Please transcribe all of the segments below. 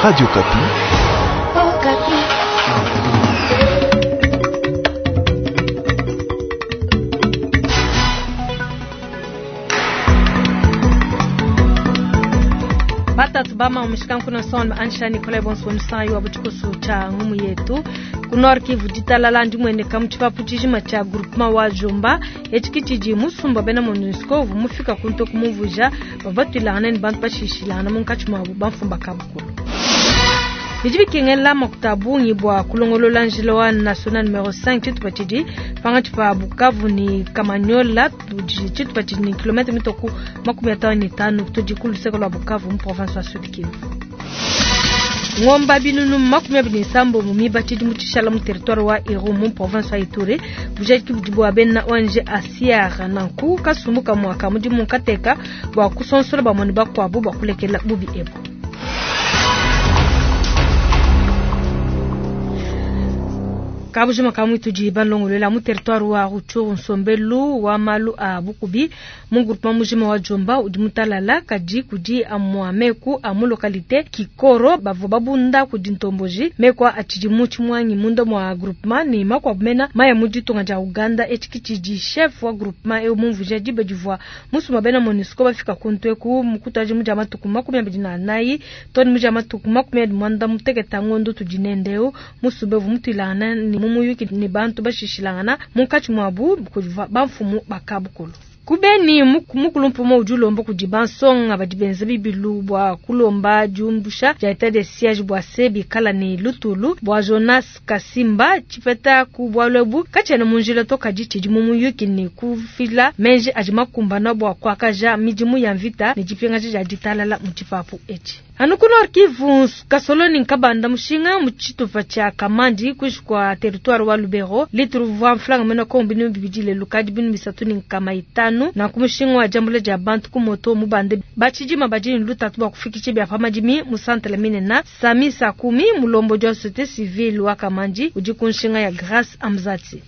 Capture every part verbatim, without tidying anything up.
Radio Okapi. Okapi. Batatu bama umeshika mkono son ansha Nikolai Bonso msanyi wa buchikusu cha ngumu yetu ku Nord Kivu ditalala ndimwene kamuchipapu chijima cha groupement wa Jomba echikitiji musumba bena MONUSCO vumufika kunto kumuvuja bavatwilana ni bantu bashishilana munkatshi mwabu bamfumba kabukulu bidi bikengela makuta bungi bua kulongolola njila wa national numero cinq tshitupa tshidi pangatshi pa Bukavu ni Kamanyola tudi tshitupa tshidi ni kilomita mitoku makumi atano ne tanu tudi ku luseke lua Bukavu mu province wa Sud Kivu. Ngomba binunu makumi abidi ne sambo mu miba tshidi mu tshishala mu territoire wa Irumu mu province wa Ituri bujadiki budi bua bena O N G Asiar nanku kasumbu kamua ka mudimu kateka bua kusonsola bamone bakuabu bua kulekela bubi ebu. Kabujima kamwe tudi balongolola mu territoire wa Rutshuru nsombelu wa malu a bukubi mu groupement mujima wa Jomba udi mutalala kadi kudi amwa meku a mu localité Kikoro bavua babunda kudi ntomboji meku atshidi mu tshimwangi munda mwa groupement ni makuabu mena maya mu ditunga dia Uganda etshikitshidi chef wa groupement eu mumvuja diba divua musumba bena MONUSCO bafika kuntu eku mukutaji mudia matuku makumi abidi na anayi toni mudia matuku makumi abidi mwanda muteketa ngondo tudi nendeu musumba evu mutuilangana ni mumuyuki ni bantu bashishilangana munkatshi mwabu kudiva bamfumu bakabukulu. Kubeni mukulumpumo udi ulomba kudi bansonga badi benza bibilu bua kulomba diumbusha dia etat de siège bua se bikala ne lutulu bua Jonas Kasimba tshipeta ku bualu ebu katshiena mu njila to kadi tshidi mu muyuki ne kufila menji adi makumbana bua kuakaja midimu ya mvita ne dipingaja dia ditalala mu tshipapu etshi. Anu ku Nord Kivu kasoloni nkabanda mushinga mu tshitupa tshia Kamandi kuishi kwa territoire wa Lubero litru vwa mflanga mena kombi ni bibidi lelu kadi binu bisatu ni nkama itanu na kumushinga wa jambule dia bantu ku moto mubande bachijima bajini lutatu bwa kufikiche bya pamadimi mu centre minena Sami Sakumi mulombo jwa société civile wa Kamandi udi kunshinga ya Grace Amzati.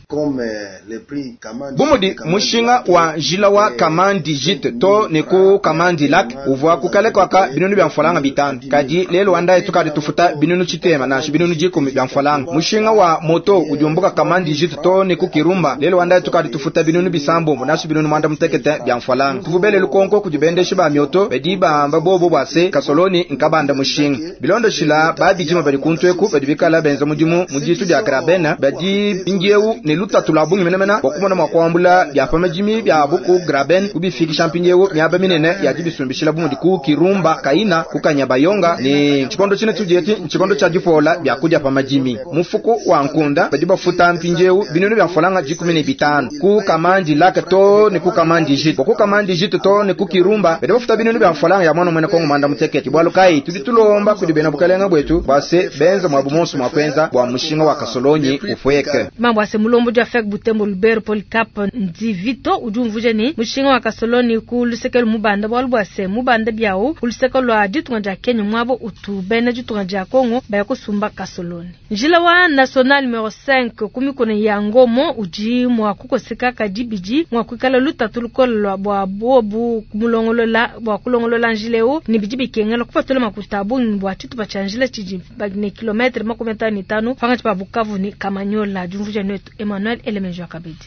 Bumudi mushinga wa njila wa Kamandi jite to ne ku Kamandi lak uvwa kukale kwaka binunu bya mfalanga bitanu kadi lelo wanda tukadi tufuta binunu chitema na binunu jikumi bya mfalanga mushinga wa moto ujumbuka Kamandi jite to ne ku Kirumba lelo wanda tukadi tufuta binunu bisambombo na binunu mwanda mutekete bya mfalanga tuvubele lukonko kujibendesha ba myoto bedi bamba bobo bwase kasoloni nkabanda mushinga bilondo shila babijima bali kuntweku badi bikala benza mudimu muditu bya grabena badi bingieu ne lutatu lwa bungi menemena wakumona mwakwambula bya pamajimi bya buku graben kubifikisha mpingieu miaba minene ya jibisumbishila bumudi ku Kirumba kaina kukanya bayonga ni chikondo chine tujeti chikondo cha jipola bya kuja pamajimi mufuku wa nkunda badi bafuta mpingieu binunu bya mfalanga jikumi ne bitano ku Kamandi laka to ne ku Kamandi jito ku Kamandi jito to ne ku Kirumba badi bafuta binunu bya mfalanga ya mwana mwene kongo manda muteketi bwalu kai tudi tulomba kudibena bukalenga bwetu bwase benza mwabu monso mwakwenza bwa mushinga wa kasolonyi ufweke mambo ase mulombo jwa fek Butembo Lubero Polycarp Ndivito udi umvuje ni mushinga wa kasoloni ku lusekelo mubanda bwalu bwase mubanda byawo ku luseke lwa ditunga dia Kenya mwabo utu bena ditunga dia Kongo baya kusumba kasoloni njila wa national numero cinq kumikono ya Ngomo udi mwa kukoseka kadibidi mwa kuikala lutatu lukola bwa bobu kumulongolola bwa kulongolola njileo ni bidi bikengela kupatula makuta bungi bwa tshitupa tsha njila tshidi ne kilometre makumi atano ne tano pangatshi pa Bukavu ni Kamanyola diumvuja netu Emmanuel Elemenjo Kabedi.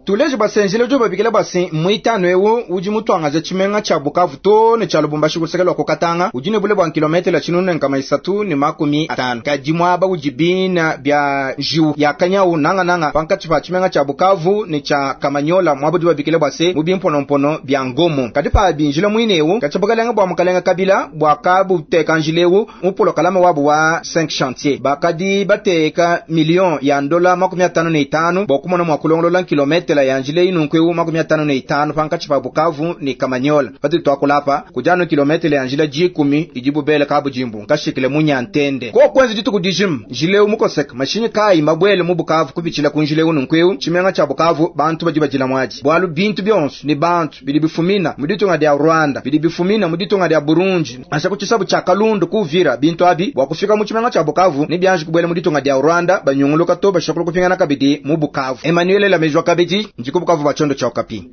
Tuleje basenjele jo babikela basi mwitano ewu udi mutwangaza chimenga cha Bukavu to ne cha Lubumbashi kusekela kokatanga udi ne bule bwa kilometre la chinunu nkama isatu ne makumi atano kadi mwaba ujibina bya jiu ya kanyau nanga nanga pankatshi pa chimenga cha Bukavu ne cha Kamanyola mwaba udi babikela basi mu bimponompono bya Ngomo kadi pa binjila mwine ewu kachabukalenga bwa mukalenga Kabila bwa kabu teka njilewu mupolo kalama wabu wa cinq chantier bakadi bateka million ya ndola makumi atano ne itano bokumona mwa kulongolola kilometre ya njile inu makumi atano ne itano pankatshi pa Bukavu ni Kamanyola pati twakulapa kujano kilometre ya njila jikumi ijibu bele kabu jimbu nkashikile munyantende ko kwenzi dituku dijim njile mukoseka mashinyi kai mabwele mu Bukavu kubichila kunjile unu nkweu chimenga cha Bukavu bantu baji bajila mwaji bwalu bintu byonso ni bantu bili bifumina muditunga dia Rwanda bili bifumina muditunga dia Burundi asha kuchisabu cha Kalundu kuvira bintu abi bwa kufika mu chimenga cha Bukavu ni byanje kubwele muditunga dia Rwanda banyunguluka to bashakulu kupingana kabidi mu Bukavu Emmanuel Lamejwa kabidi njiko Bukavu bachondo cha Okapi.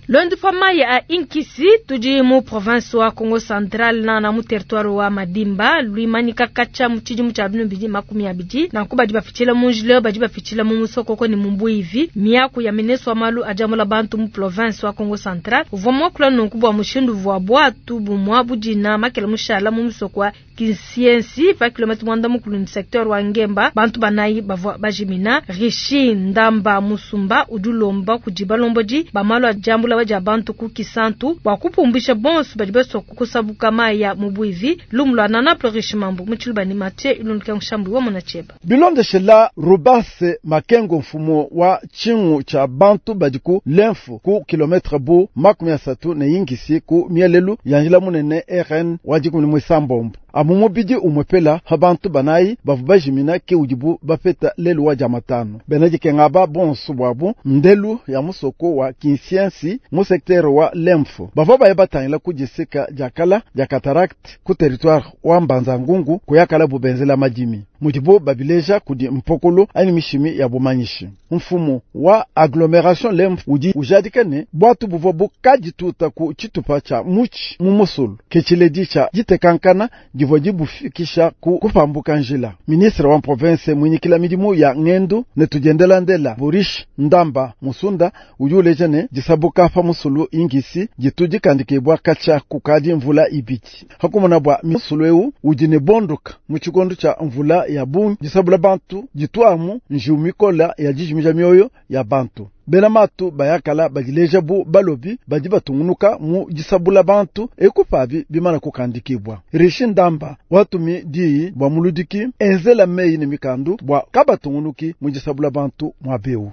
Luendu pa mayi a Inkisi tudi mu province wa Kongo Central na mu territoire wa Madimba luimanyika katshia mu tshidimu tshia binunu bibidi makumi abidi nanku badi bapitshila mu njila badi bapitshila mu musokoko ne mu mbuivi miaku ya ministre wa malu a diambula bantu mu province wa Kongo Central uvua muakula nunku bua mushindu uvua buatu bumua budina makela mushala mu musoko wa Kinsiensi pa kilomètre mwanda mukulu ni secteur wa Ngemba bantu banayi bavua bajimina. Rishi Ndamba Musumba udi ulomba kudi balombodi ba malu a diambula dia bantu ku Kisantu bua kupumbisha bonso badi basua kusabuka mayi ya mu buivi. Lumu lua Nana Plurish Mambu mu Tshiluba ni Mathieu Ilundu Nshambu wa Mona Cheba. Bilondeshela Rubase Makengo mfumu wa tshingu tshia bantu badi ku lemfu ku kilometre bu makumi asatu ne ingisi ku mielelu ya njila munene R N wa dikumi ne muisambombo. Amu mubidi umwepela ha bantu banayi bavu bajimina ke udibu bapeta lelu wa jamatano. Bena dikenga bonso bwabu ndelu ya musoko wa Kinsiensi mu secteur wa Lemfo. Bavua baye batangila ku disika dia kala dia cataracte ku territoire wa Mbanza-Ngungu kuyakala bubenzela madimi. Mudibo babileja kudi mpokolo ani mishimi ya bumanyishi. Mfumu wa agglomération Lemfo udi ujadika ne bwatu buvua bukadituta ku tshitupa tshia muchi mu musulu. Ke tshiledi tshia ditekankana divua dibufikisha ku kupambuka njila. Ministre wa province mwinyikila midimu ya ngendu ne tudiendela ndela Boris Ndamba Musunda udi uleja ne disabuka pa musulu ingisi ditu dikandikibwa katshia kukadi mvula ibidi. Hakumona bwa musulu eu udi ne bondoka mu tshikondo tshia mvula ya bungi disabula bantu ditwamu njiu mikola ya dijimija mioyo ya bantu. Bena matu bayakala badileja bu balobi badi batungunuka mu disabula bantu ekupabi bimana kukandikibwa. Rishi Ndamba watumi diyi bwa muludiki enzela meyi ne mikandu bwa kabatungunuki mu disabula bantu mwa beu.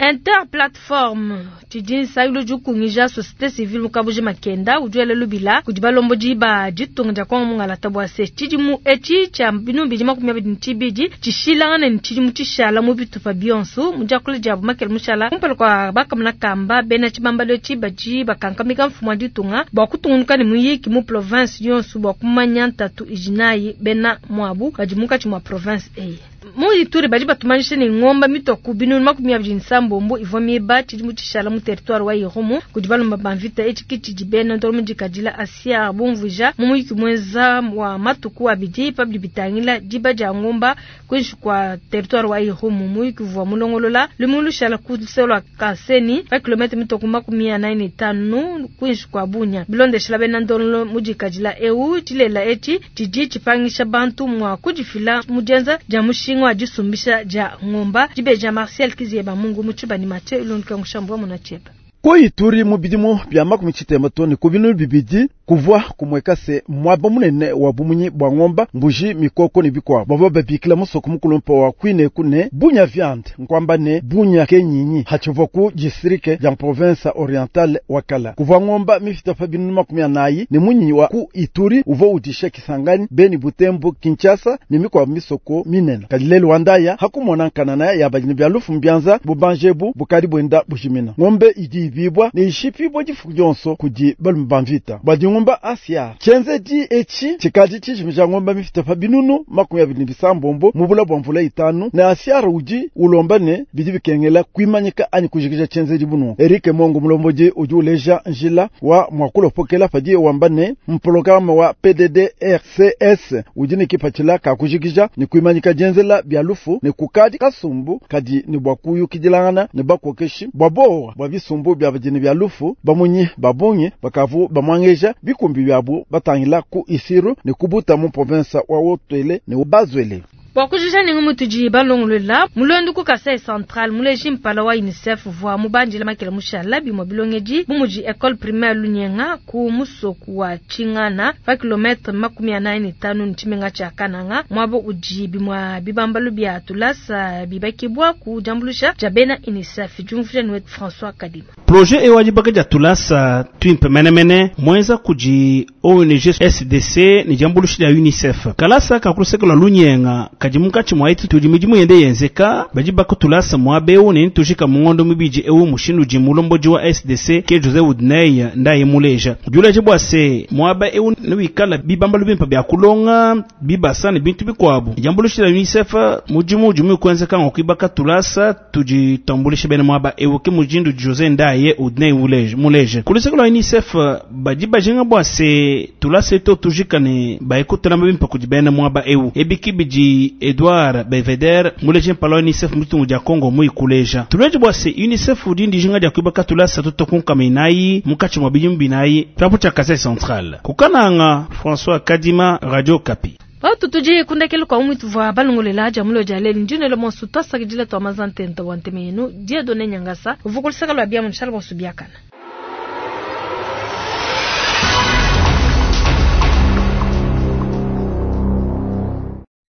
Interplateforme tshidi nsayilo dikungija société civile mu Kabuji Makenda udi wela lubila kudi balombodi ba ditunga dia Kongo mungalata bua se tshidimu etshi tshia binunu bibidi makumi abidi ne tshibidi tshishilangane ne tshidimu tshishala mu bitupa bionso mu diakula diabu makele mushala kumpala kua bakamuna kamba bena tshibambalo etshi badi bakankamika mfumu wa ditunga bua kutungunuka ne muyiki mu province yonso bua kumanya ntatu idi nayi bena muabu badi munkatshi mua province eyi. Mu Ituri badi batumanyisha ne ngomba mitoku binunu makumi abidi ne sambombo ivua miba tshidimu tshishala mu territoire wa Irumu kudi balomba ba mvita etshi kitshidi bena ndolo dikadila Asia bumvuija mu muyiki mwenza wa matuku abidi pabidi bitangila diba dia ngomba kuinshi kwa territoire wa Irumu muyiki uvua mulongolola lumu lushala ku luselo Kaseni pa kilomètre mitoku makumi anayi ne tanu kuinshi kwa Bunya bilondeshela bena ndolo mudikadila eu tshilela etshi tshidi tshipangisha bantu mua kudifila mu dienza dia mushinga wa disumbisha dia ngomba dibeja Marcel Kizieba Mungu mu Tshibani Mathieu Ilundu Nshambu wa Mona Cheba. Ku Ituri mu bidimu bia makumi tshitema to ne ku binunu bibidi kuvua kumweka se mwaba munene wa bumunyi bwa ngomba mbuji mikoko ne bikwabo bavua babikila musoko mukulumpa wa kwine kune bunya viande nkwamba ne bunya kenyinyi hatshivua ku district ya province orientale wakala kuvua ngomba mifita pa binunu makumi anayi ne munyinyi wa ku Ituri uvua udisha Kisangani Beni Butembo Kinshasa ne mikwabo misoko minene kadi lelu wandaya hakumona nkanana ya badini bya lufu mbyanza bubanjebu bukadi bwenda bujimina ngombe idi bibwa ne ishipibwa difuku dionso kudi balume ba mvita badi ngomba Asia tshenzedi etshi tshikadi tshijimija ngomba mifita pa binunu makumi abidi ne bisambombo mu bula bua mvula itanu ne Asia udi ulomba ne bidi bikengela kuimanyika anyi kujikija tshenzedi bunu. Eric Mongo mulombodi udi uleja njila wa mwakulopokela padi wamba ne mpologaramu wa P D D R C S udi ne kipatshila ka kujikija ne kuimanyika dienzela bia lufu ne kukadi kasumbu kadi ne bua kuyukidilangana ne bakokeshi bua bowa bua bisumbu bia badini bia lufu bamunyi babungi bakavu bamwangeja bikumbi byabu batangila ku Isiru ne kubuta mu province wa Wotwele ne Bazwele. Bua kujija ne ngumu tudi balongolola mulondu ku Kasai Central muleji mpala wa UNICEF vua mubandila makela mushala bimue bilongedi bu mudi école primaire Lunyenga ku musoku wa Tshingana pa kilomètre makumi anayi ne tanu ne tshimenga tshia Kananga mwabo udi bimue bibambalu bia tulasa bibakibwa ku diambulusha dia bena UNICEF diumvuija ne François Kadima. Projet ewa dibaka dia tulasa twimpe menemene mwenza kudi O N G S D C ne diambulusha dia UNICEF kalasa kakuluseka lwa Lunyenga Kadi munkatshi mua etu tudi midimu yende yenzeka, badi bakutulasa muaba eu ne ntujika mu ngondo mibidi eu mushindu udi mulombodi wa S D C ke José Udney ndaye muleja. Udi bua se muaba eu newikala bibambalu bimpe bia kulonga, bibasa ne bintu bikuabu. Diambuluisha dia UNICEF mudimu udi mukwenzeka ngwa kuibaka tulasa tudi tuambulisha bena muaba eu, ke mujindu José Ndaye Udney muleje. Kuluseke lua UNICEF badi bajinga bua se tulasa etu tujika ne bayekutulamba bimpe kudi bena muaba eu. Ebiki bidi Edouard Beveder muleje mpala wa UNICEF mutungu dia Congo muikuleja. Tuleje bua se UNICEF udi ndijinga dia kuibaka tulasa tutokunkama inayi munkatshi mua bidimu binayi tshiapu tshia Kasai Central. Kukananga François Kadima, Radio Okapi. Batu tudi kundekele kwa umwitu vwa balongolela dia mulo dia lelu ndinelo monso twasakidila twa mazantenta wa nteme yenu Dieudonné Nyangasa uvukulisaka lwa bia munshala bonso biakana.